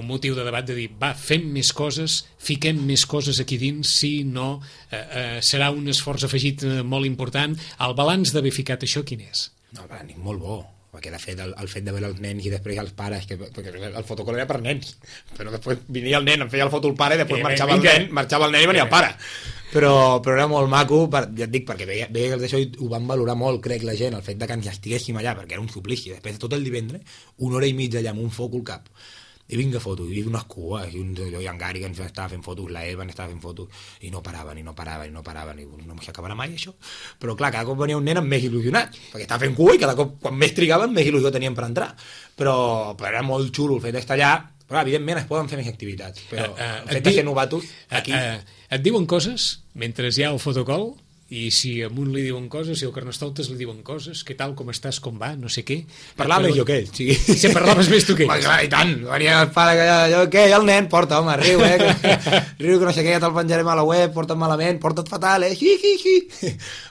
motiu de debat, de dir, va, fem més coses, fiquem més coses aquí dins, si no, serà un esforç afegit molt important. El balanç d'haver ficat això, quin és? No, el balanç molt bo, perquè de fet el fet de veure els nens i després els pares, perquè el fotocol era per nens, però després venia el nen, em feia el foto el pare, i després marxava el nen i venia el pare. Però era molt maco, ja et dic, perquè veia que això ho van valorar molt, crec, la gent, el fet de que ens estiguéssim allà, perquè era un suplici, després de tot el divendres, 1 hora i mitja allà amb un foc al cap, i vinga fotos, i unes cues, i en Gary que ens estava fent fotos, la Eva ens estava fent fotos, i no paraven, i no s'acabarà mai això. Però clar, cada cop venia un nen amb més il·lusionat, perquè estava fent cua i cada cop, quan més trigaven, més il·lusió tenien per entrar. Però era molt xulo el fet d'estar allà, però evidentment es poden fer més activitats, però el fet de ser novatos aquí... Et diuen coses mentre hi ha el fotocol? I si a un li diuen coses, si al Carnestoltes li diuen coses, què tal, com estàs, com va, no sé què... Parlava més jo que ell, sí. Si parlaves més tu que ell. Clar, i tant, venia el pare que què, el nen, porta, home, riu, riu, que no sé què, ja te'l penjarem a la web, porta't malament, porta't fatal,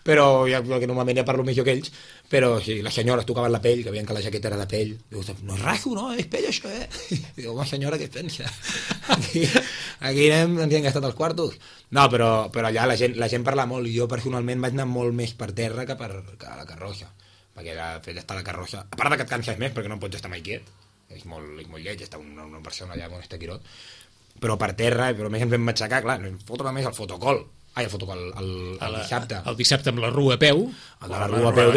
Però ja, que normalment ja parlo més jo que ells, però sí, les senyores tocaven la pell, que veien que la jaqueta era de pell. Diu, no és raso, no, és pell això, Diu, home, senyora, què es pensa? Aquí ens hi han gastat els quartos. No, però allà la gent parla molt, i jo personalment vaig anar molt més per terra que a la carrossa, perquè el fet d'estar a la carrossa, a part que et canses més perquè no pots estar mai quiet, és molt lleig estar una persona allà on està quirot, però per terra, però més ens vam matxacar, clar, fotre més el fotocol, el dissabte. El dissabte amb la rua a peu. El de la rua a peu,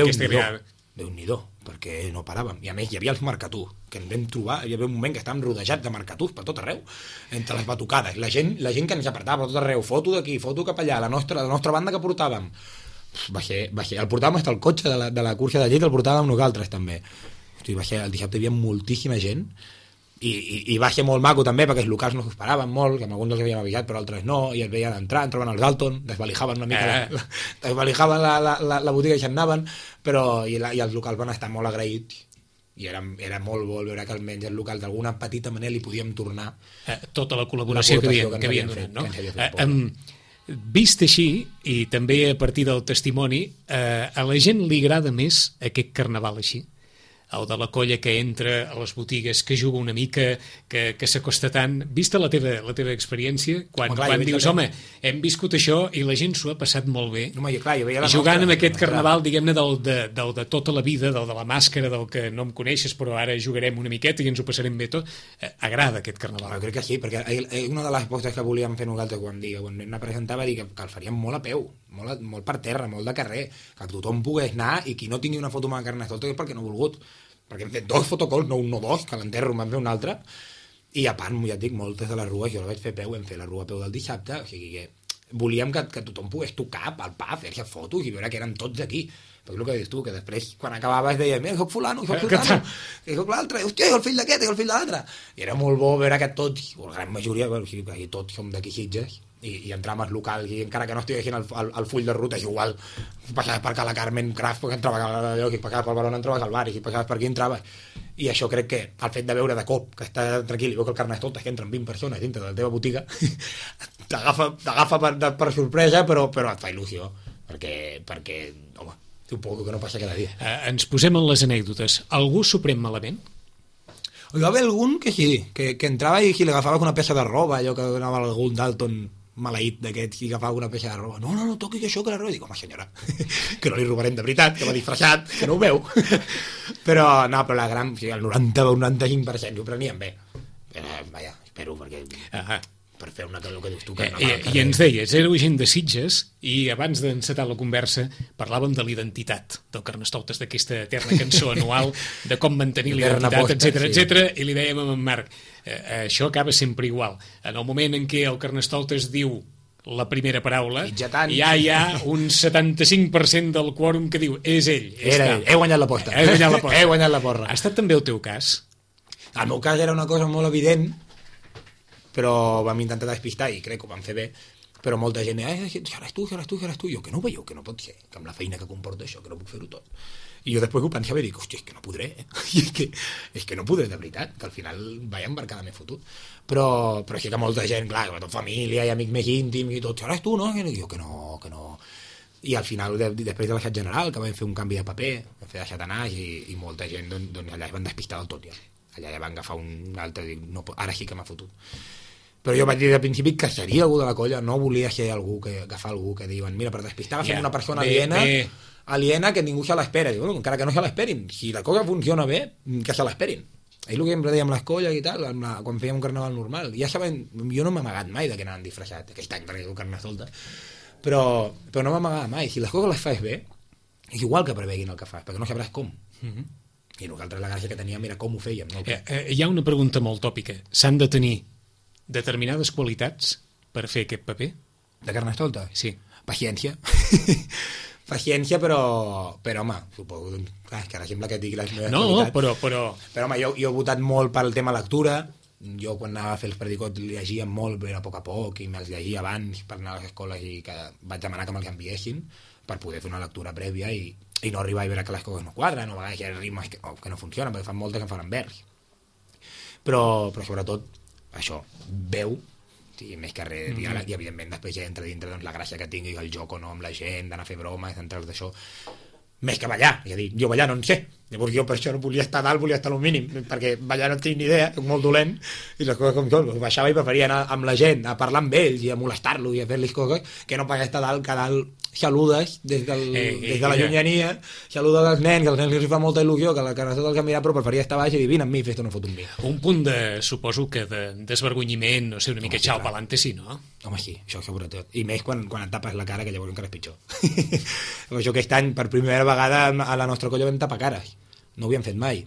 Déu-n'hi-do, perquè no paràvem. I a més hi havia els marcatús, que ens vam trobar, hi havia un moment que estàvem rodejats de marcatús per tot arreu, entre les batucades. La gent que ens apartava per tot arreu, foto d'aquí, foto cap allà, la nostra banda que portàvem. Va ser, el portàvem fins al cotxe de la cursa de llet, el portàvem nosaltres també. Hosti, el dissabte hi havia moltíssima gent, I va ser molt maco també, perquè els locals no s'ho esperaven molt, que amb alguns els havíem avisat però altres no, i els veien entrar, entraven al Galton, desvalijaven una mica desvalijaven la botiga i se'n anaven, però i els locals van estar molt agraïts, i era molt bo veure que almenys el local d'alguna petita manera li podíem tornar tota la col·laboració que havien donat, no? Vist així, i també a partir del testimoni, a la gent li agrada més aquest carnaval així? El de la colla que entra a les botigues, que juga una mica, que s'acosta tant. Vista la teva experiència, quan dius, home, hem viscut això i la gent s'ho ha passat molt bé, jugant amb aquest carnaval, diguem-ne, del de tota la vida, del de la màscara, del que no em coneixes, però ara jugarem una miqueta i ens ho passarem bé tot. Agrada aquest carnaval. Jo crec que sí, perquè una de les postes que volíem fer nosaltres quan la presentava, dir que el faríem molt a peu, molt per terra, molt de carrer, que tothom pogués anar i qui no tingui una foto amb el Carnestoltes és perquè no ha volgut, perquè hem fet 2 fotocols, no un, no 2, que l'enterro en vam fer un altre, i a part, ja et dic, moltes de les rues jo la vaig fer a peu, vam fer la rua a peu del dissabte, o sigui que volíem que tothom pogués tocar, palpar, fer-se fotos i veure que eren tots aquí, perquè el que dius tu, que després quan acabaves deia, mira, soc fulano, que soc l'altre, hòstia, el fill d'aquest, el fill de l'altre, i era molt bo veure que tots, o la gran majoria, o sigui, tots som d'aquí Sitges, i entrar als locals, i encara que no estiguessin al full de ruta, és igual, passaves per Cala Carmen Craft, perquè entraves a lloc, i passaves per Barona, entraves al bar, i si passaves per aquí, entraves. I això crec que el fet de veure de cop que està tranquil i veu que el Carnestoltes que entren 20 persones dintre de la teva botiga t'agafa per sorpresa, però et fa il·lusió, perquè home, suposo que no passa cada dia. Ens posem en les anècdotes. Algú s'ho pren malament? Hi va haver algun que sí, que entrava i si li agafaves una peça de roba, allò que anava algun Dalton maleït d'aquests i agafava una peça de roba, no toqui això que la roba, dic, home senyora, que no li robarem de veritat, que va disfressat, que no ho veu. però la gran, o sigui, el 90-95% ho prenien bé. Vaja, espero, perquè per fer una cosa que dius tu que i ens deies, éreu gent de Sitges i abans d'encetar la conversa parlàvem de l'identitat del Carnestoltes, d'aquesta eterna cançó anual de com mantenir l'identitat, etc. I li dèiem a en Marc, això acaba sempre igual. En el moment en què el Carnestoltes diu la primera paraula, ja hi ha un 75% del quòrum que diu és ell. He guanyat l'aposta. He guanyat la porra. Ha estat també el teu cas? El meu cas era una cosa molt evident, però vam intentar despistar i crec que ho vam fer bé, però molta gent seràs tu, jo que no ho veieu, que no pot ser, que amb la feina que comporta això, que no puc fer-ho tot. I jo després ho pensava i dic, hòstia, és que no podré, és que no podré de veritat, que al final vaig embarcada m'he fotut. Però sí que molta gent, clar, tot família i amics més íntims i tot, seràs tu, no? I jo que no. I al final, després de l'aixat general, que vam fer un canvi de paper, vam fer d'aixat anàs i molta gent, doncs allà es van despistar del tot ja. Allà ja van agafar un altre i dic, no, ara sí que m'ha fotut. Però jo vaig dir al principi que seria algú de la colla, no volia ser agafar algú que diuen, mira, per despistar fem una persona aliena que ningú se l'espera. Bueno, encara que no se l'esperin, si la cosa funciona bé, que se l'esperin. És el que sempre dèiem les colles i tal, quan fèiem un carnaval normal. Ja saben, jo no m'he amagat mai de que anaven disfressat aquest any, perquè és un Carnestoltes, però no m'amagava mai. Si les coses les fas bé, és igual que preveguin el que fas, perquè no sabràs com. I nosaltres la gràcia que teníem era com ho fèiem. No? Hi ha una pregunta molt tòpica. S'han de tenir determinades qualitats per fer aquest paper? De Carnestoltes? Sí. Paciència. Paciència, però home, suposo, clar, és que ara sembla que et digui les meves qualitats. Però home, jo he votat molt pel tema lectura. Jo quan anava a fer els predicots llegia molt, era a poc i me'ls llegia abans per anar a les escoles i que vaig demanar que me'ls enviessin per poder fer una lectura prèvia i no arribar a veure que les coses no quadren, o a vegades hi ha ritmes que no funcionen, perquè fan moltes que em fan vers. Però sobretot això, veu, sí, més que res diàleg, i evidentment després ja entra dintre doncs, la gràcia que tingui el joc o no amb la gent, d'anar a fer bromes, d'entrar d'això, més que ballar, és a dir, jo ballar no en sé, llavors jo per això no volia estar dalt, volia estar al mínim, perquè ballar no tinc ni idea, soc molt dolent, i les coses com són, baixava i preferia anar amb la gent, a parlar amb ells i a molestar-los i a fer-los coses, que no pas estar dalt, que dalt saludes des de la llunyania, saludes als nens, que als nens els fa molta il·lusió, que la Carnestoltes els mirar, però preferia estar baix i dir, vine amb mi, fes-te una foto amb mi. Un punt suposo que de desvergonyiment, no sé, una mica xau pa'lante, sí, no? Home, sí, això sobretot. I més quan et tapes la cara, que llavors encara és pitjor. Això aquest any, per primera vegada, a la nostra colla vam tapar cares. No ho havíem fet mai.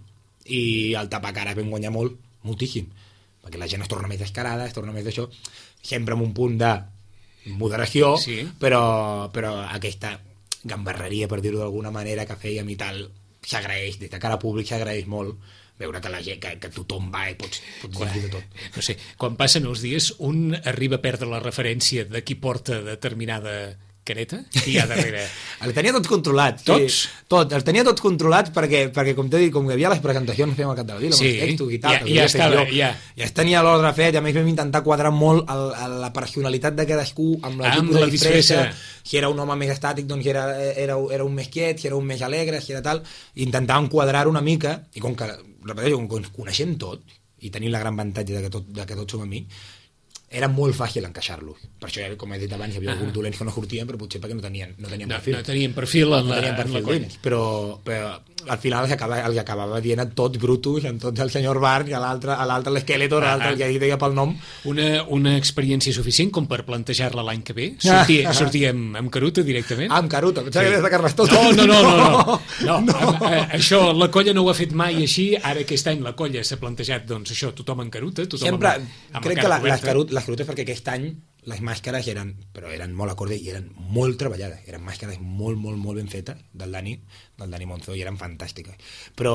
I el tapar cares vam guanyar moltíssim. Perquè la gent es torna més descarada, es torna més d'això, sempre amb un punt de moderació, sí. però aquesta gambarreria, per dir-ho d'alguna manera, que fèiem i tal, s'agraeix, des de cara públic s'agraeix molt veure que, que tothom va i pots dir de tot. No sé, quan passen els dies un arriba a perdre la referència de qui porta determinada careta i hi ha darrere. El tenia tots controlats. Tots? Sí, tot, els tenia tots controlats perquè com t'he dit, com que hi havia les presentacions fèiem al cap de la vila, sí, amb els textos i tal, ja estava, ja es tenia l'ordre fet, i a més vam intentar quadrar molt la personalitat de cadascú amb la tipus de disfressa. Si era un home més estàtic, doncs era un més quiet, si era un més alegre, si era tal, i intentàvem quadrar una mica, i com que, repeteixo, com que coneixem tot, i tenim la gran avantatge de que tots som amics, era molt fàcil encaixar-los. Per això, com he dit abans, hi havia alguns dolents que no sortien, però potser perquè no tenien perfil. No tenien perfil en la colla. Però al final els acabava dient a tots Brutus, a tots el senyor Barn, i a l'altre l'Skeletor, a l'altre el que deia pel nom. Una experiència suficient com per plantejar-la l'any que ve? Sortia amb Caruta directament? Amb Caruta, pensava que des de Carnestolta. No. Això la colla no ho ha fet mai així, ara aquest any la colla s'ha plantejat, doncs això, tothom en Caruta, tothom sempre, amb crec la cara que coberta. les Carutes, perquè aquest any les màscares eren molt acordes i eren molt treballades, eren màscares molt ben fetes del Dani Monzó, i eren fantàstiques, però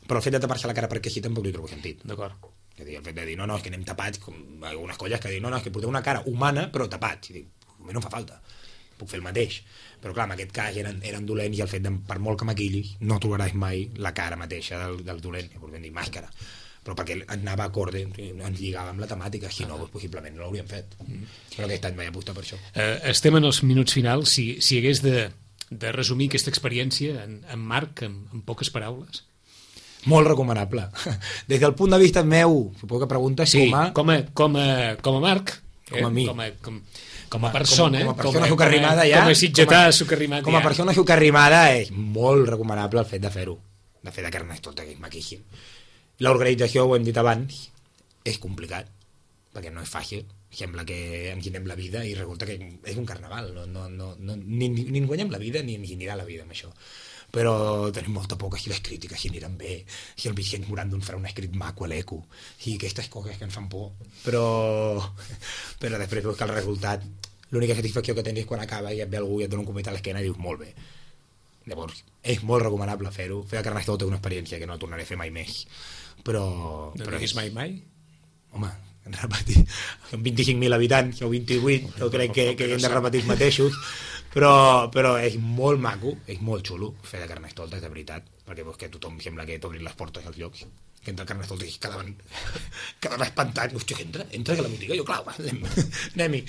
el fet de tapar-se la cara perquè així tampoc li trobo sentit. D'acord. És a dir, el fet de dir, no, és que anem tapats, com algunes colles que diuen, no, és que porteu una cara humana però tapats, i dic, a mi no em fa falta, puc fer el mateix, però clar, en aquest cas eren dolents, i el fet de, per molt que maquillis, no trobaràs mai la cara mateixa del dolent, llavors vam dir màscara, però perquè anava acorde, ens lligava amb la temàtica, si no, possiblement no l'hauríem fet. Però aquest any vaig apostar per això. Estem en els minuts finals. Si hagués de resumir aquesta experiència en Marc, en poques paraules. Molt recomanable. Des del punt de vista meu, suposo que preguntes sí, com a Marc, com a mi. Com a persona, com a persona sucarrimada ja, com a sitgetà sucarrimat. Com a persona sucarrimada és molt recomanable el fet de fer-ho, de fer de Carnestolta, que és maquíssim. L'organització, ho hem dit abans, és complicat, perquè no és fàcil. Sembla que ens guanyem la vida i resulta que és un carnaval. Ni ens guanyem la vida ni ens anirà la vida amb això. Però tenim molta por que si les crítiques si aniran bé, si el Vicent Morandon farà un escrit maco a l'eco, i aquestes coses que ens fan por. Però després veus que el resultat, l'única satisfacció que tens és quan acaba i et ve algú i et dona un comet a l'esquena i dius molt bé. Llavors, és molt recomanable fer-ho. Fer a Carnestolta és una experiència que no tornaré a fer mai més. Però és mai? Home, hem de repetir. Són 25.000 habitants, o 28, jo crec que hem de repetir els mateixos. Però és molt maco, és molt xulo fer de Carnestolta, de veritat, perquè veus que tothom sembla que t'obrin les portes als llocs. Que entra a Carnestolta i quedaven espantats. Hòstia, entra a la botiga, jo, clar, anem-hi.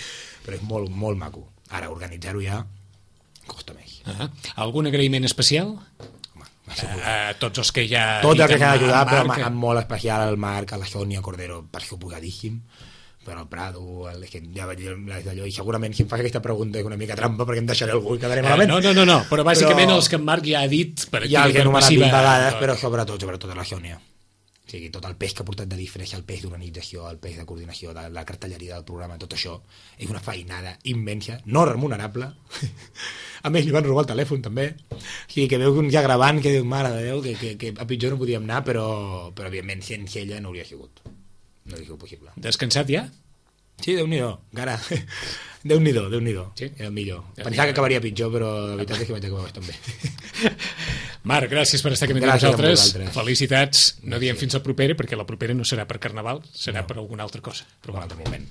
Però és molt maco. Ara, organitzar-ho ja costa més. Algun agraïment especial? Tots els que ja... Tots els que s'han ajudat, però amb molt especial al Marc, a la Sònia Cordero, per suposadíssim, però el Prado, ja vaig dir d'allò, i segurament si em fas aquesta pregunta és una mica trampa perquè em deixaré algú i quedaré malament. No, però bàsicament els que en Marc ja ha dit per aquí ja per passiva. Vegades, però sobretot a la Sònia. O sigui, tot el pes que ha portat de disfressa, el pes d'organització, el pes de coordinació, de la cartelleria del programa, tot això, és una feinada immensa, no remunerable. A més, li van robar el telèfon, també. O sigui, que veu un ja gravant que diu, mare de Déu, que a pitjor no podíem anar, però evidentment, sense ella no hauria sigut. No hauria sigut possible. Descansat ja? Sí, Déu-n'hi-do, encara. Déu-n'hi-do. Sí? Era el millor. Pensava que acabaria pitjor, però la veritat és que vaig acabar bastant bé. Marc, gràcies per estar aquí amb nosaltres. Felicitats. No diem fins al proper, perquè la propera no serà per Carnaval, serà per alguna altra cosa. Per un altre moment.